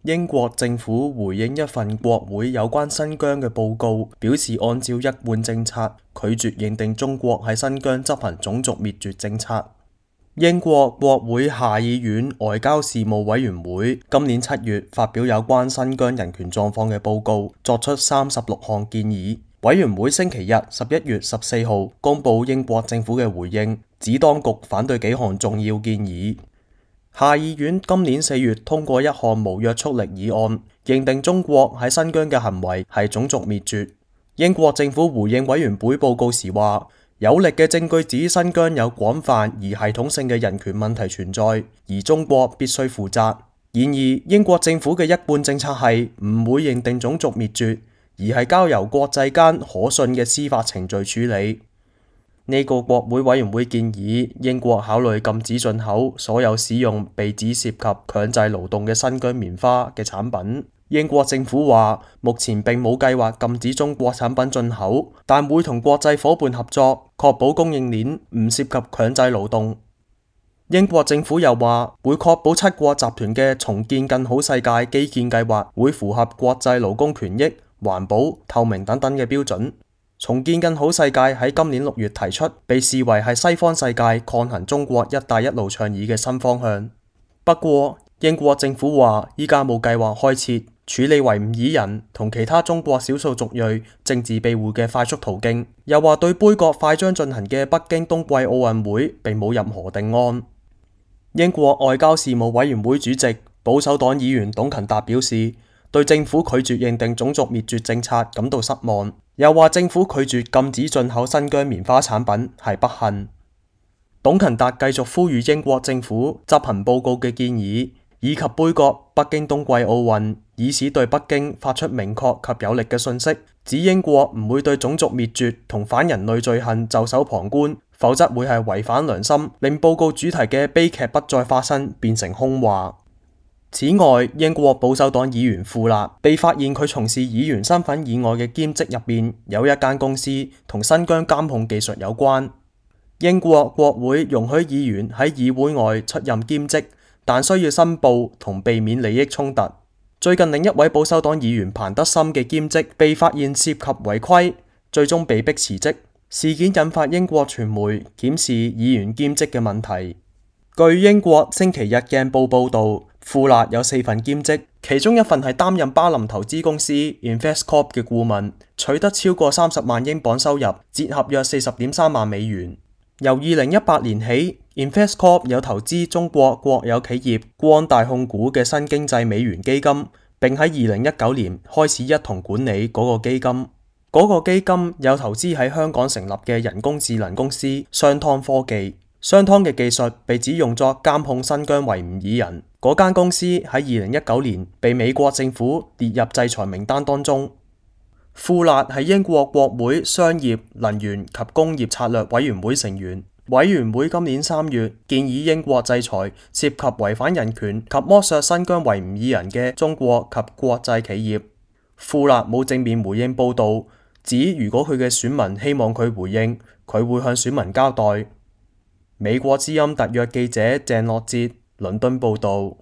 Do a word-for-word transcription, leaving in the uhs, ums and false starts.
英國政府回應一份國會有關新疆嘅報告，表示按照一貫政策，拒絕認定中國喺新疆執行種族滅絕政策。英國國會下議院外交事務委員會今年七月發表有關新疆人權狀況嘅報告，作出三十六項建議。委員會星期日十一月十四號公布英國政府嘅回應，指當局反對幾項重要建議。下議院今年四月通過一項無約束力議案，認定中國喺新疆嘅行為係種族滅絕。英國政府回應委員會報告時話，有力嘅證據指新疆有廣泛而系統性嘅人權問題存在，而中國必須負責。然而，英國政府嘅一貫政策係唔會認定種族滅絕，而係交由國際間可信嘅司法程序處理。呢個國會委員會建議英國考慮禁止進口所有使用被指涉及強制勞動嘅新疆棉花嘅產品。英國政府話，目前並冇計劃禁止中國產品進口，但會同國際夥伴合作，確保供應鏈唔涉及強制勞動。英國政府又話，會確保七國集團嘅重建更好世界基建計劃會符合國際勞工權益、環保、透明等等嘅標準。重建更好世界喺今年六月提出，被視為係西方世界抗衡中國一帶一路倡議嘅新方向。不過，英國政府話依家冇計劃開設處理維吾爾人同其他中國少數族裔政治庇護嘅快速途徑，又話對杯葛快將進行嘅北京冬季奧運會並冇任何定案。英國外交事務委員會主席保守黨議員董勤達表示，對政府拒絕認定種族滅絕政策感到失望，又話政府拒絕禁止進口新疆棉花產品係不幸。董勤達繼續呼籲英國政府執行報告嘅建議，以及杯葛北京冬季奧運，以此對北京發出明確及有力嘅訊息，指英國唔會對種族滅絕同反人類罪行袖手旁觀，否則會係違反良心，令報告主題嘅悲劇不再發生，變成空話。此外，英國保守黨議員富勒被發現佢從事議員身份以外嘅兼職入邊有一間公司同新疆監控技術有關。英國國會容許議員喺議會外出任兼職，但需要申報同避免利益衝突。最近另一位保守黨議員彭德森嘅兼職被發現涉及違規，最終被迫辭職。事件引發英國傳媒檢視議員兼職嘅問題。據英國星期日鏡報報道，富勒有四份兼職，其中一份係擔任巴林投資公司 Investcorp 嘅顧問，取得超過三十萬英鎊收入，折合約四十點三萬美元。由二零一八年起 ，Investcorp 有投資中國國有企業光大控股嘅新經濟美元基金，並喺二零一九年開始一同管理嗰個基金。嗰個基金有投資喺香港成立嘅人工智能公司商湯科技。商湯嘅技術被指用作監控新疆維吾爾人。嗰間公司喺二零一九年被美國政府列入制裁名單當中。富勒係英國國會商業、能源及工業策略委員會成員。委員會今年三月建議英國制裁涉及違反人權及剝削新疆維吾爾人嘅中國及國際企業。富勒冇正面回應報道，指如果佢嘅選民希望佢回應，佢會向選民交代。美國之音特約記者鄭樂哲倫敦報道。